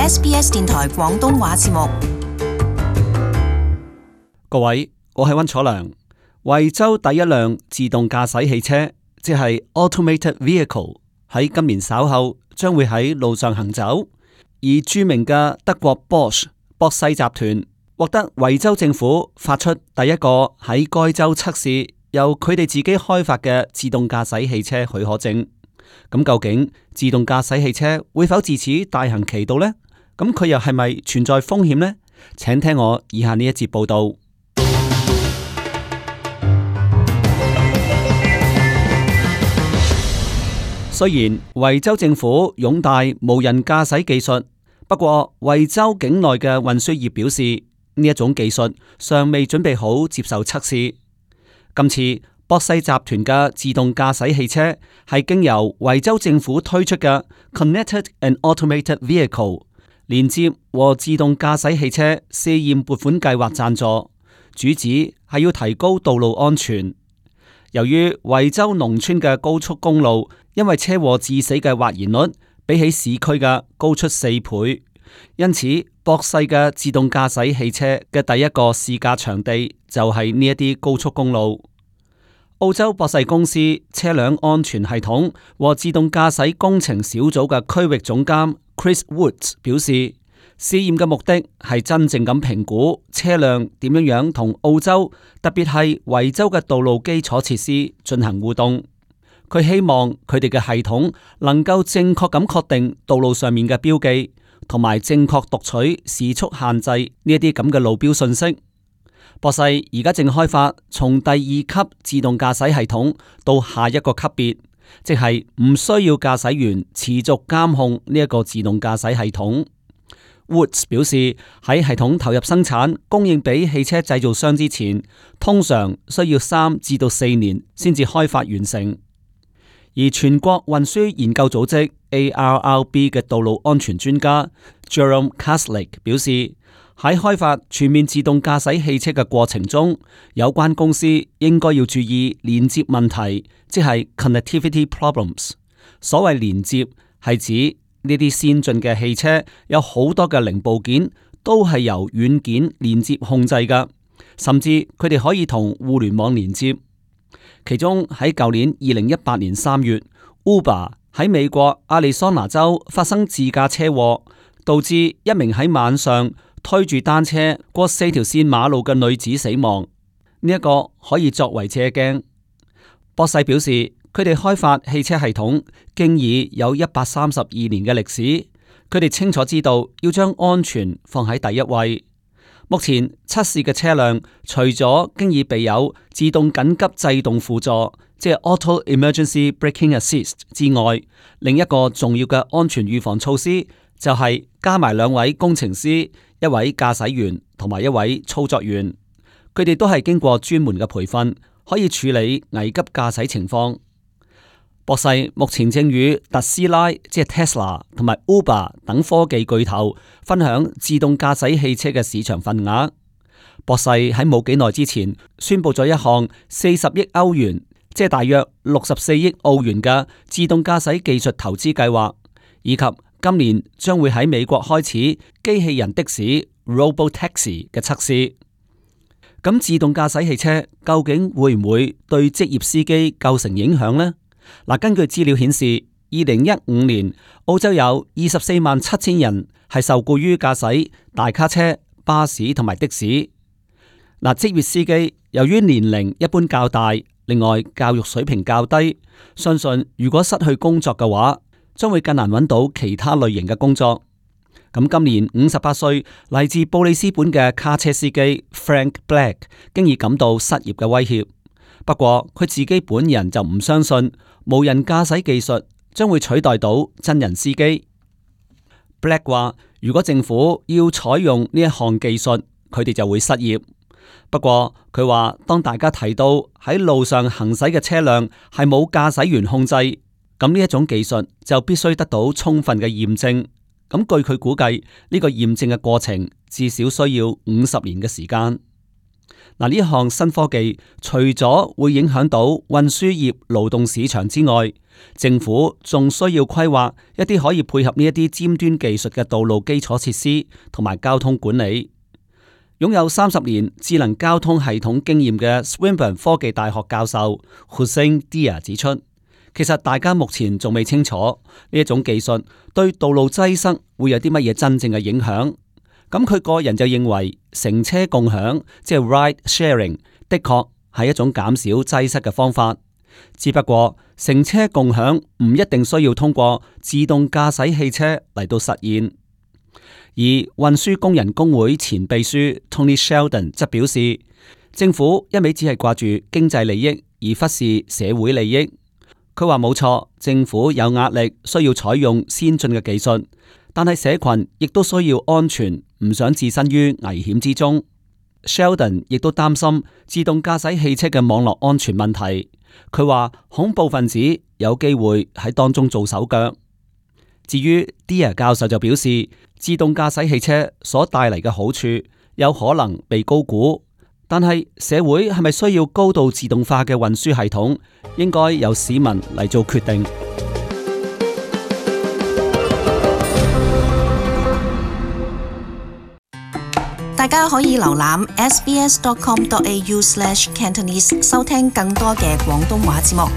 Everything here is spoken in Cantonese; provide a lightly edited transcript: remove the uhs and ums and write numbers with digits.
SBS 電台廣東話節目。各位，我係溫楚良。惠州第一輛自動駕駛汽車，即係 Automated Vehicle， 喺今年稍後將會喺路上行走。而著名嘅德國 Bosch 博世集團獲得惠州政府發出第一個喺該州測試由佢哋自己開發嘅自動駕駛汽車許可證。咁究竟自動駕駛汽車會否自此大行其道呢？咁佢又係咪存在風險呢？請聽我以下呢一節報道。雖然惠州政府擁戴無人駕駛技術，不過惠州境內嘅運輸業表示呢一種技術尚未準備好接受測試。今次博世集團嘅自動駕駛汽車係經由惠州政府推出嘅 Connected and Automated Vehicle 連接和自動駕駛汽車試驗撥款計劃贊助，主旨係要提高道路安全。由於惠州農村嘅高速公路因為車禍致死嘅或然率比起市區嘅高出4倍，因此博世嘅自動駕駛汽車嘅第一個試駕場地就係呢一啲高速公路。澳洲博世公司車輛安全系統和自動駕駛工程小組嘅區域總監 Chris Woods 表示，試驗嘅目的係真正咁評估車輛點樣同澳洲，特別係惠州嘅道路基礎設施進行互動。佢希望佢哋嘅系統能夠正確咁確定道路上面嘅標記，同埋正確讀取時速限制呢一啲咁嘅路標信息。博世而家正開發從第2級自動駕駛系統到下一個級別，即係唔需要駕駛員持續監控呢一個自動駕駛系統。Woods 表示，喺系統投入生產供應俾汽車製造商之前，通常需要3至到4年先至開發完成。而全國運輸研究組織 ARRB 嘅道路安全專家 Jerome Kaslik 表示，喺開發全面自動駕駛汽車嘅過程中，有關公司應該要注意連接問題，即係 connectivity problems。所謂連接係指呢啲先進嘅汽車有好多嘅零部件都係由軟件連接控制㗎，甚至佢哋可以同互聯網連接。其中喺舊年2018年3月 Uber 喺美國亞利桑那州發生自駕車禍，導致一名喺晚上推住單車過4條線馬路嘅女子死亡。呢一個可以作為借鏡。博世表示，佢哋開發汽車系統經已有132年嘅歷史，佢哋清楚知道要將安全放喺第一位。目前測試嘅車輛除咗經已備有自動緊急制動輔助，即係 Auto Emergency Braking Assist 之外，另一個重要嘅安全預防措施就係加埋2位工程師、1位駕駛員同埋1位操作員，佢哋都係經過專門嘅培訓，可以處理危急駕駛情況。博世目前正與特斯拉即係 Tesla 同埋 Uber 等科技巨頭分享自動駕駛汽車嘅市場份額。博世喺冇幾耐之前宣布咗一項40億歐元，即係大約64億澳元嘅自動駕駛技術投資計劃，以及今年將會喺美國開始機器人的士 Robotaxi 嘅測試。咁自動駕駛汽車究竟會唔會對職業司機構成影響呢？嗱，根據資料顯示，2015年澳洲有247000人係受僱於駕駛大卡車、巴士同埋的士。嗱，職業司機由於年齡一般較大，另外教育水平較低，相信如果失去工作嘅話，將會更難揾到其他類型嘅工作。咁今年58歲嚟自布里斯本嘅卡車司機 Frank Black 經已感到失業嘅威脅。不過佢自己本人就唔相信無人駕駛技術將會取代到真人司機。Black 話，如果政府要採用呢一項技術，佢哋就會失業。不過佢話，當大家提到喺路上行駛嘅車輛係冇駕駛員控制，咁呢一種技術就必須得到充分嘅驗證。咁據佢估計，呢個驗證嘅過程至少需要50年嘅時間。嗱，呢項新科技除咗會影響到運輸業勞動市場之外，政府仲需要規劃一啲可以配合呢一啲尖端技術嘅道路基礎設施同埋交通管理。擁有30年智能交通系統經驗嘅 Swinburne 科技大學教授 Hussein Dia 指出，其實大家目前仲未清楚呢一種技術對道路擠塞會有啲乜嘢真正嘅影響。咁佢個人就認為，乘車共享即係 ride sharing 的確係一種減少擠塞嘅方法。只不過乘車共享唔一定需要通過自動駕駛汽車嚟到實現。而運輸工人工會前秘書 Tony Sheldon 則表示，政府一味只係掛住經濟利益而忽視社會利益。佢話冇錯，政府有壓力需要採用先進嘅技術，但係社群亦都需要安全，唔想置身於危險之中。Sheldon 亦都擔心自動駕駛汽車嘅網絡安全問題。佢話恐怖分子有機會喺當中做手腳。至於 Dia 教授就表示，自動駕駛汽車所帶嚟嘅好處有可能被高估，但係社會係咪需要高度自動化嘅運輸系統，應該由市民嚟做決定。大家可以瀏覽 sbs.com.au/cantonese 收聽更多嘅廣東話節目。